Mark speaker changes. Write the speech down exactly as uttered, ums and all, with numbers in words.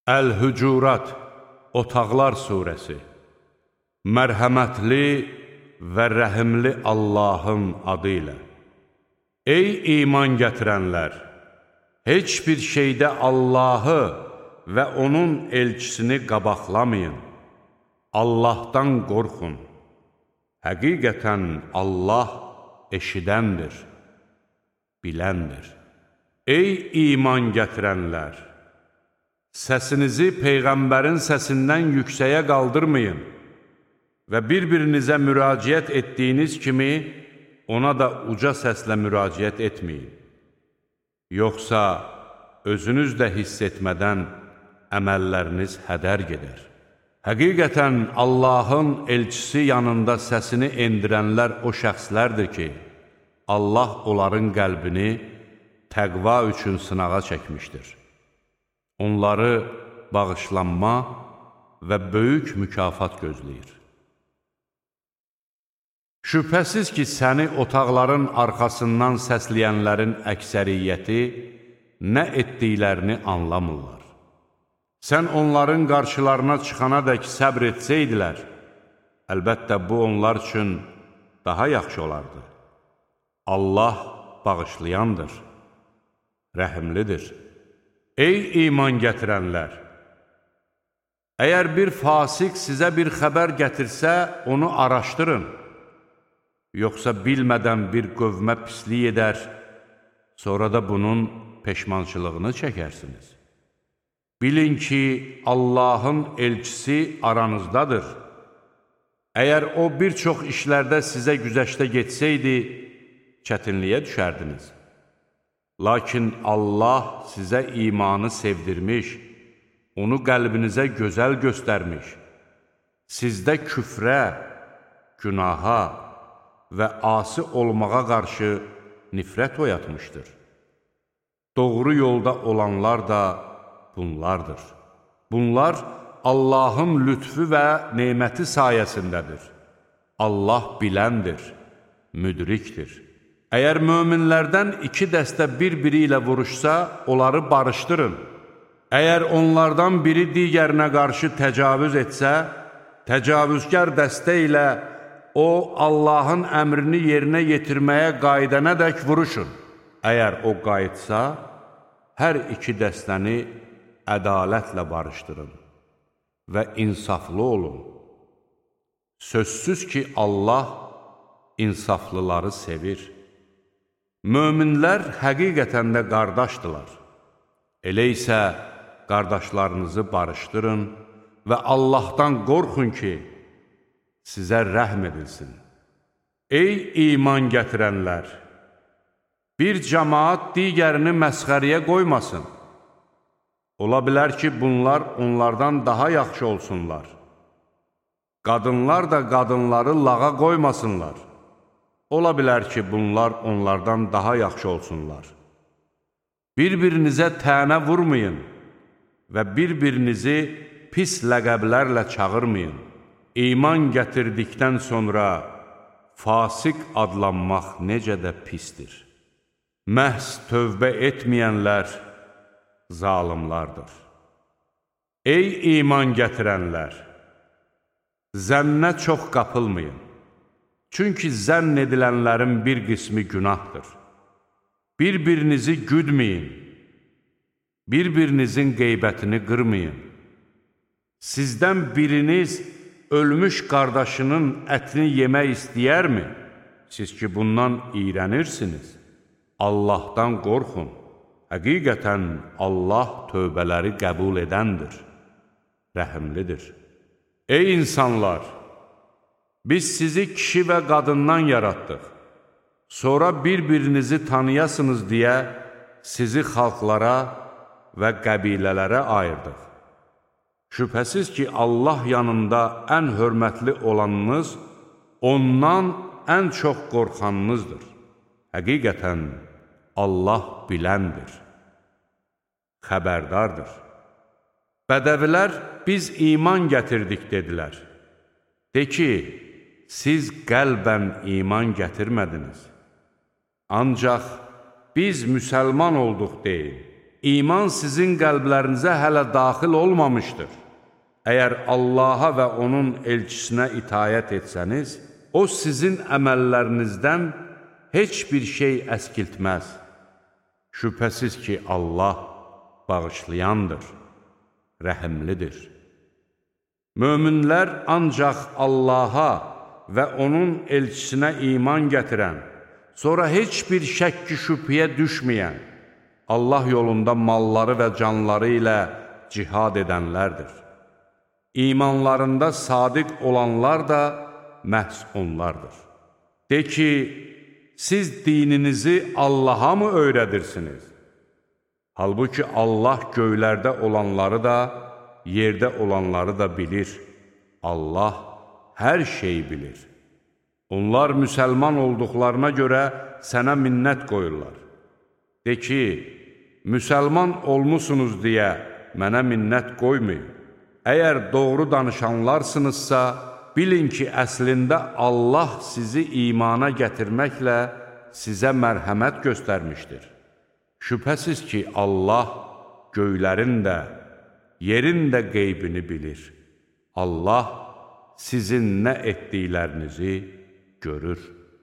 Speaker 1: Əl-Hücurat, Otaqlar Suresi. Mərhəmətli və rəhimli Allahın adı ilə. Ey iman gətirənlər! Heç bir şeydə Allahı və onun elçisini qabaqlamayın. Allahdan qorxun. Həqiqətən Allah eşidəndir, biləndir. Ey iman gətirənlər! Səsinizi Peyğəmbərin səsindən yüksəyə qaldırmayın və bir-birinizə müraciət etdiyiniz kimi ona da uca səslə müraciət etməyin. Yoxsa özünüz də hiss etmədən əməlləriniz hədər gedər. Həqiqətən Allahın elçisi yanında səsini endirənlər o şəxslərdir ki, Allah onların qəlbini təqva üçün sınağa çəkmişdir. Onları bağışlanma və böyük mükafat gözləyir. Şübhəsiz ki, səni otaqların arxasından səsləyənlərin əksəriyyəti nə etdiklərini anlamırlar. Sən onların qarşılarına çıxana dək səbr etsəydilər, əlbəttə bu onlar üçün daha yaxşı olardı. Allah bağışlayandır, rəhimlidir. Ey iman gətirənlər! Əgər bir fasik sizə bir xəbər gətirsə, onu araşdırın. Yoxsa bilmədən bir qövmə pislik edər, sonra da bunun peşmançılığını çəkərsiniz. Bilin ki, Allahın elçisi aranızdadır. Əgər o bir çox işlərdə sizə güzəştə getsəydi, çətinliyə düşərdiniz. Lakin Allah sizə imanı sevdirmiş, onu qəlbinizə gözəl göstərmiş, sizdə küfrə, günaha və asi olmağa qarşı nifrət oyatmışdır. Doğru yolda olanlar da bunlardır. Bunlar Allahın lütfü və neməti sayəsindədir. Allah biləndir, müdrikdir. Əgər möminlərdən iki dəstə bir-biri ilə vuruşsa, onları barışdırın. Əgər onlardan biri digərinə qarşı təcavüz etsə, təcavüzkar dəstə ilə o, Allahın əmrini yerinə yetirməyə qayıdənədək vuruşun. Əgər o qayıtsa, hər iki dəstəni ədalətlə barışdırın və insaflı olun. Sözsüz ki, Allah insaflıları sevir. Möminlər həqiqətən də qardaşdılar. Elə isə qardaşlarınızı barışdırın və Allahdan qorxun ki, sizə rəhm edilsin. Ey iman gətirənlər! Bir cəmaat digərini məsxəriyə qoymasın. Ola bilər ki, bunlar onlardan daha yaxşı olsunlar. Qadınlar da qadınları lağa qoymasınlar. Ola bilər ki, bunlar onlardan daha yaxşı olsunlar. Bir-birinizə tənə vurmayın və bir-birinizi pis ləqəblərlə çağırmayın. İman gətirdikdən sonra fasik adlanmaq necə də pisdir. Məhz tövbə etməyənlər zalimlardır. Ey iman gətirənlər! Zənnə çox qapılmayın. Çünki zənn edilənlərin bir qismi günahdır. Bir-birinizi güdməyin, bir-birinizin qeybətini qırmayın. Sizdən biriniz ölmüş qardaşının ətini yemək istəyərmi? Siz ki, bundan iyrənirsiniz. Allahdan qorxun. Həqiqətən Allah tövbələri qəbul edəndir, rəhimlidir. Ey insanlar! Biz sizi kişi və qadından yaratdıq. Sonra bir-birinizi tanıyasınız deyə sizi xalqlara və qəbilələrə ayırdıq. Şübhəsiz ki, Allah yanında ən hörmətli olanınız, ondan ən çox qorxanınızdır. Həqiqətən Allah biləndir, xəbərdardır. Bədəvilər, biz iman gətirdik, dedilər. De ki, siz qəlbən iman gətirmədiniz. Ancaq biz müsəlman olduq deyin. iman sizin qəlblərinizə hələ daxil olmamışdır. Əgər Allaha və onun elçisinə itayət etsəniz, o sizin əməllərinizdən heç bir şey əskiltməz. Şübhəsiz ki, Allah bağışlayandır, rəhimlidir. Möminlər ancaq Allaha və onun elçisinə iman gətirən, sonra heç bir şəkki şübhəyə düşməyən, Allah yolunda malları və canları ilə cihad edənlərdir. İmanlarında sadiq olanlar da məhz onlardır. De ki, siz dininizi Allaha mı öyrədirsiniz? Halbuki Allah göylərdə olanları da, yerdə olanları da bilir. Allah hər şeyi bilir. Onlar müsəlman olduqlarına görə sənə minnət qoyurlar. De ki, müsəlman olmusunuz deyə mənə minnət qoymayın. Əgər doğru danışanlarsınızsa, bilin ki, əslində Allah sizi imana gətirməklə sizə mərhəmət göstərmişdir. Şübhəsiz ki, Allah göylərin də, yerin də qeybini bilir. Allah sizin nə etdiklərinizi görür.